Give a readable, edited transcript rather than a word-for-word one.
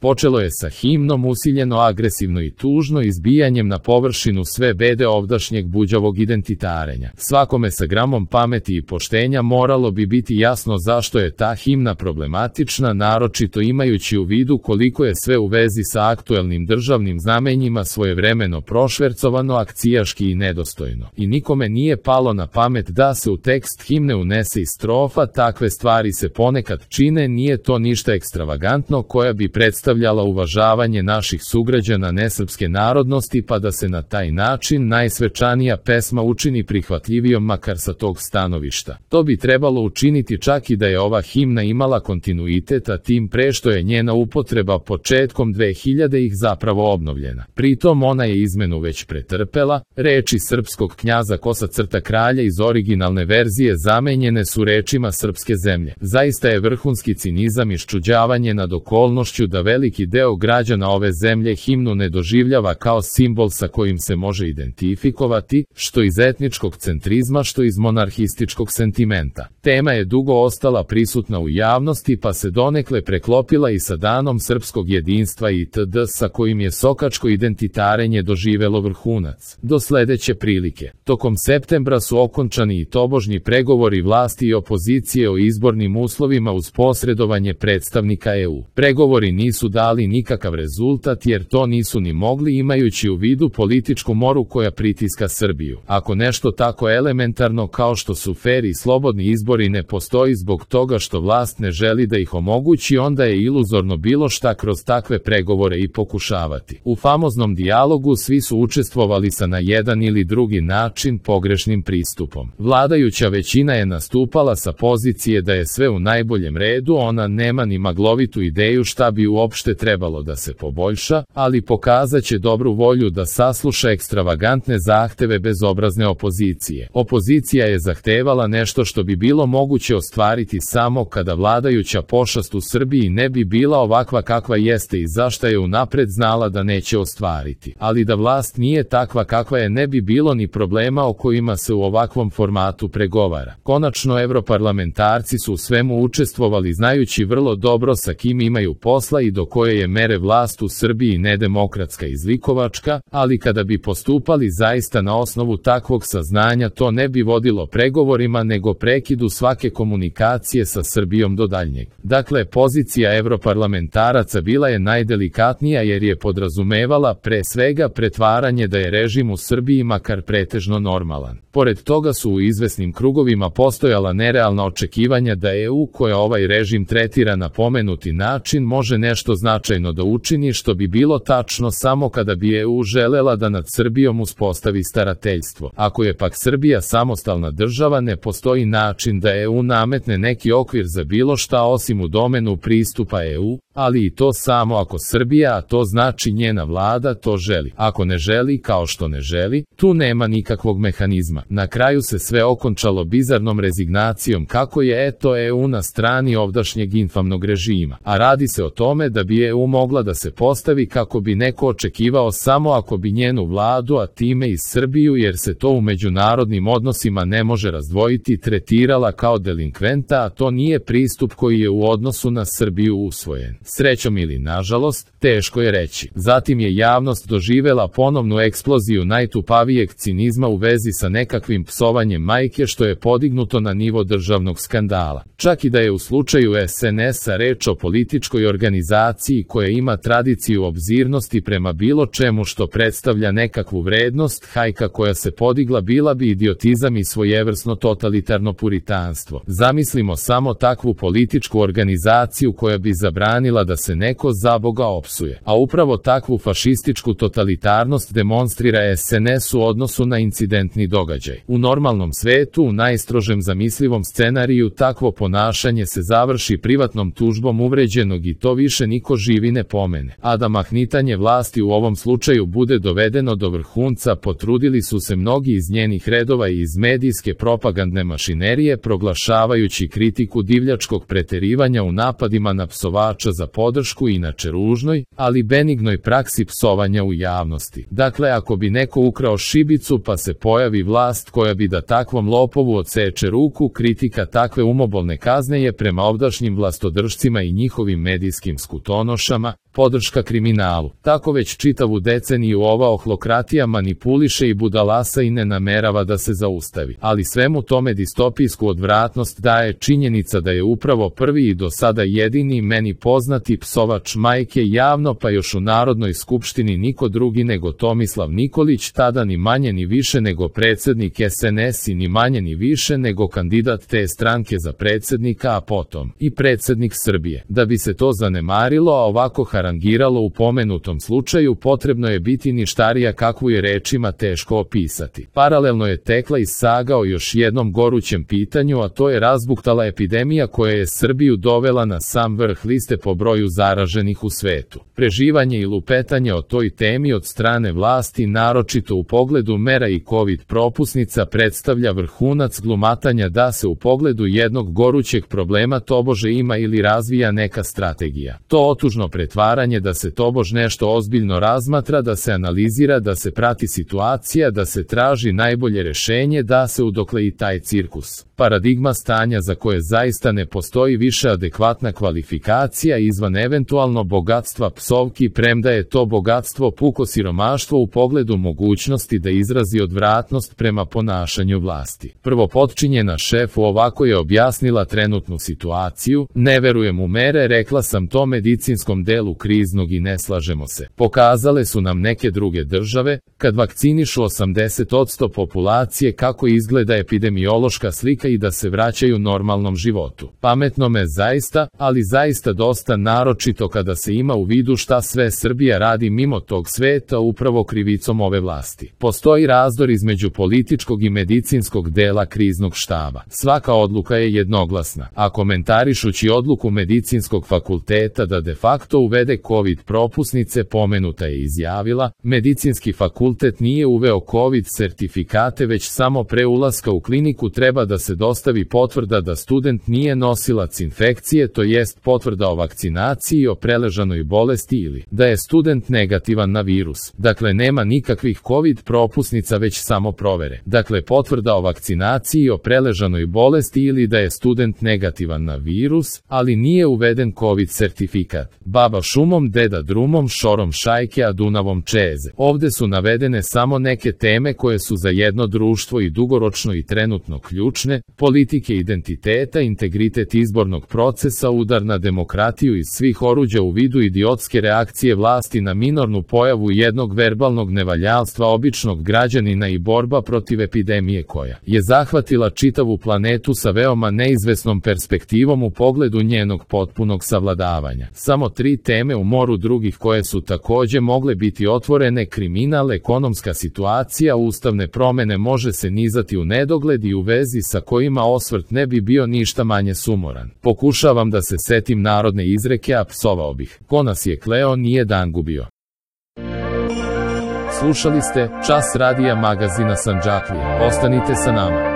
Počelo je sa himnom usiljeno agresivno i tužno izbijanjem na površinu sve bede ovdašnjeg buđavog identitarenja. Svakome sa gramom pameti i poštenja moralo bi biti jasno zašto je ta himna problematična, naročito imajući u vidu koliko je sve u vezi sa aktuelnim državnim znamenjima svojevremeno prošvercovano, akcijaški i nedostojno. I nikome nije palo na pamet da se u tekst himne unese i strofa, takve stvari se ponekad čine, nije to ništa ekstravagantno koja bi predstavljala uvažavanje naših sugrađana nesrpske narodnosti, pa da se na taj način najsvečanija pesma učini prihvatljivijom makar sa tog stanovišta. To bi trebalo učiniti čak i da je ova himna imala kontinuitet, a tim pre što je njena upotreba početkom 2000-ih zapravo obnovljena. Pritom ona je izmenu već pretrpela, reči srpskog knjaza Kralja iz originalne verzije zamenjene su rečima srpske zemlje. Zaista je vrhunski cinizam i ščuđavanje nad okolnošću da veliki deo građana ove zemlje himnu ne doživljava kao simbol sa kojim se može identifikovati, što iz etničkog centrizma, što iz monarhističkog sentimenta. Tema je dugo ostala prisutna u javnosti, pa se donekle preklopila i sa danom srpskog jedinstva itd. Sa kojim je sokačko identitarenje doživelo vrhunac. Do sledeće prilike. Tokom septembra su okončani i tobožnji pregovori vlasti i opozicije o izbornim uslovima uz posredovanje predstavnika EU. Pregovori nisu dali nikakav rezultat jer to nisu ni mogli imajući u vidu političku moru koja pritiska Srbiju. Ako nešto tako elementarno kao što su fer i slobodni izbori ne postoji zbog toga što vlast ne želi da ih omogući, onda je iluzorno bilo šta kroz takve pregovore i pokušavati. U famoznom dijalogu svi su učestvovali sa na jedan ili drugi način pogrešnim pristupom. Vladajuća većina je nastupala sa pozicije da je sve u najboljem redu, ona nema ni maglovitu ideju šta bi uopšte trebalo da se poboljša, ali pokazaće dobru volju da sasluša ekstravagantne zahteve bezobrazne opozicije. Opozicija je zahtevala nešto što bi bilo moguće ostvariti samo kada vladajuća pošast u Srbiji ne bi bila ovakva kakva jeste i zašta je unapred znala da neće ostvariti. Ali da vlast nije takva kakva je ne bi bilo ni problema o kojima se u ovakvom formatu pregovara. Konačno evroparlamentarci su u svemu učestvovali znajući vrlo dobro sa kim imaju posla i do koje je mere vlast u Srbiji nedemokratska i zlikovačka, ali kada bi postupali zaista na osnovu takvog saznanja to ne bi vodilo pregovorima nego prekidu svake komunikacije sa Srbijom do daljnjeg. Dakle, pozicija evroparlamentaraca bila je najdelikatnija jer je podrazumevala pre svega pretvaranje da je režim u Srbiji makar pretežno normalan. Pored toga su u izvesnim krugovima postojala nerealna očekivanja da EU koja ovaj režim tretira na pomenuti način može nešto značajno da učini, što bi bilo tačno samo kada bi EU želela da nad Srbijom uspostavi starateljstvo. Ako je pak Srbija samostalna država, ne postoji način da EU nametne neki okvir za bilo šta osim u domenu pristupa EU, ali i to samo ako Srbija, a to znači njena vlada, to želi. Ako ne želi, kao što ne želi, tu nema nikakvog mehanizma. Na kraju se sve okončalo bizarnom rezignacijom kako je EU na strani ovdašnjeg infamnog režima. A radi se o tome da bi EU mogla da se postavi kako bi neko očekivao samo ako bi njenu vladu, a time i Srbiju, jer se to u međunarodnim odnosima ne može razdvojiti, tretirala kao delinkventa, a to nije pristup koji je u odnosu na Srbiju usvojen. Srećom ili nažalost, teško je reći. Zatim je javnost doživela ponovnu eksploziju najtupavijeg cinizma u vezi sa nekakvim psovanjem majke što je podignuto na nivo državnog skandala. Čak i da je u slučaju SNS-a reč o političkoj organizaciji koja ima tradiciju obzirnosti prema bilo čemu što predstavlja nekakvu vrednost, hajka koja se podigla bila bi idiotizam i svojevrsno totalitarno puritanstvo. Zamislimo samo takvu političku organizaciju koja bi zabranila da se neko zaboga opsuje. A upravo takvu fašističku totalitarnost demonstrira SNS u odnosu na incidentni događaj. U normalnom svetu, u najstrožem zamislivom scenariju, takvo ponašanje se završi privatnom tužbom uvređenog i to više niko živi ne pomene. A da mahnitanje vlasti u ovom slučaju bude dovedeno do vrhunca, potrudili su se mnogi iz njenih redova i iz medijske propagandne mašinerije, proglašavajući kritiku divljačkog preterivanja u napadima na psovača za podršku inače ružnoj, ali benignoj praksi psovanja u javnosti. Dakle, ako bi neko ukrao šibicu pa se pojavi vlast koja bi da takvom lopovu odseče ruku, kritika takve umobolne kazne je prema ovdašnjim vlastodržcima i njihovim medijskim skutonošama podrška kriminalu. Tako već čitavu deceniju ova ohlokratija manipuliše i budalasa i ne namerava da se zaustavi. Ali svemu tome distopijsku odvratnost daje činjenica da je upravo prvi i do sada jedini meni poznati psovač majke javno pa još u Narodnoj skupštini niko drugi nego Tomislav Nikolić, tada ni manje ni više nego predsjednik SNS i ni manje ni više nego kandidat te stranke za predsjednika, a potom i predsjednik Srbije. Da bi se to zanemarilo, a ovako harangiralo u pomenutom slučaju, potrebno je biti ništarija kakvu je rečima teško opisati. Paralelno je tekla i saga o još jednom gorućem pitanju, a to je razbuktala epidemija koja je Srbiju dovela na sam vrh liste po broju zaraženih u svetu. Preživanje i lupetanje o toj temi od strane vlasti, naročito u pogledu mera i COVID propusnica, predstavlja vrhunac glumatanja da se u pogledu jednog gorućeg problema tobože ima ili razvija neka strategija. To otužno pretvaranje da se tobož nešto ozbiljno razmatra, da se analizira, da se prati situacija, da se traži najbolje rešenje, da se udokle i taj cirkus. Paradigma stanja za koje zaista ne postoji više adekvatna kvalifikacija izvan eventualno bogatstva psovki, premda je to bogatstvo puko siromaštvo u pogledu mogućnosti da izrazi odvratnost prema ponašanju vlasti. Prvo potčinjena šefu ovako je objasnila trenutnu situaciju: ne verujem u mere, rekla sam to medicinskom delu kriznog i ne slažemo se. Pokazale su nam neke druge države, kad vakcinišu 80% populacije, kako izgleda epidemiološka slika i da se vraćaju normalnom životu. Pametno me zaista, ali zaista dosta, naročito kada se ima u vidu šta sve Srbija radi mimo tog sveta upravo krivicom ove vlasti. Postoji razdor između političkog i medicinskog dela kriznog štaba. Svaka odluka je jednoglasna, a komentarišući odluku medicinskog fakulteta da de facto uvede COVID propusnice, pomenuta je izjavila: medicinski fakultet nije uveo COVID sertifikate, već samo pre ulaska u kliniku treba da se dostavi potvrda da student nije nosilac infekcije, to jest potvrda o vakcinaciji i o preležanoj bolesti, ili da je student negativan na virus. Dakle, nema nikakvih COVID propusnica, već samo provere. Dakle, potvrda o vakcinaciji i o preležanoj bolesti ili da je student negativan na virus, ali nije uveden COVID sertifikat. Baba šumom, deda drumom, šorom šajke, a Dunavom čeze. Ovde su navedene samo neke teme koje su za jedno društvo i dugoročno i trenutno ključne: politike identiteta, integritet izbornog procesa, udar na demokratiju iz svih oruđa u vidu idiotske reakcije vlasti na minornu pojavu jednog verbalnog nevaljalstva običnog građanina i borba protiv epidemije koja je zahvatila čitavu planetu sa veoma neizvesnom perspektivom u pogledu njenog potpunog savladavanja. Samo 3 teme u moru drugih koje su takođe mogle biti otvorene: kriminal, ekonomska situacija, ustavne promene, može se nizati u nedogled i u vezi sa kojima osvrt ne bi bio ništa manje sumoran. Pokušavam da se setim narodne izreke, a psovao bih: ko nas je kleo, nije dan gubio. Slušali ste Čas radija magazina Sandžaklija. Ostanite sa nama.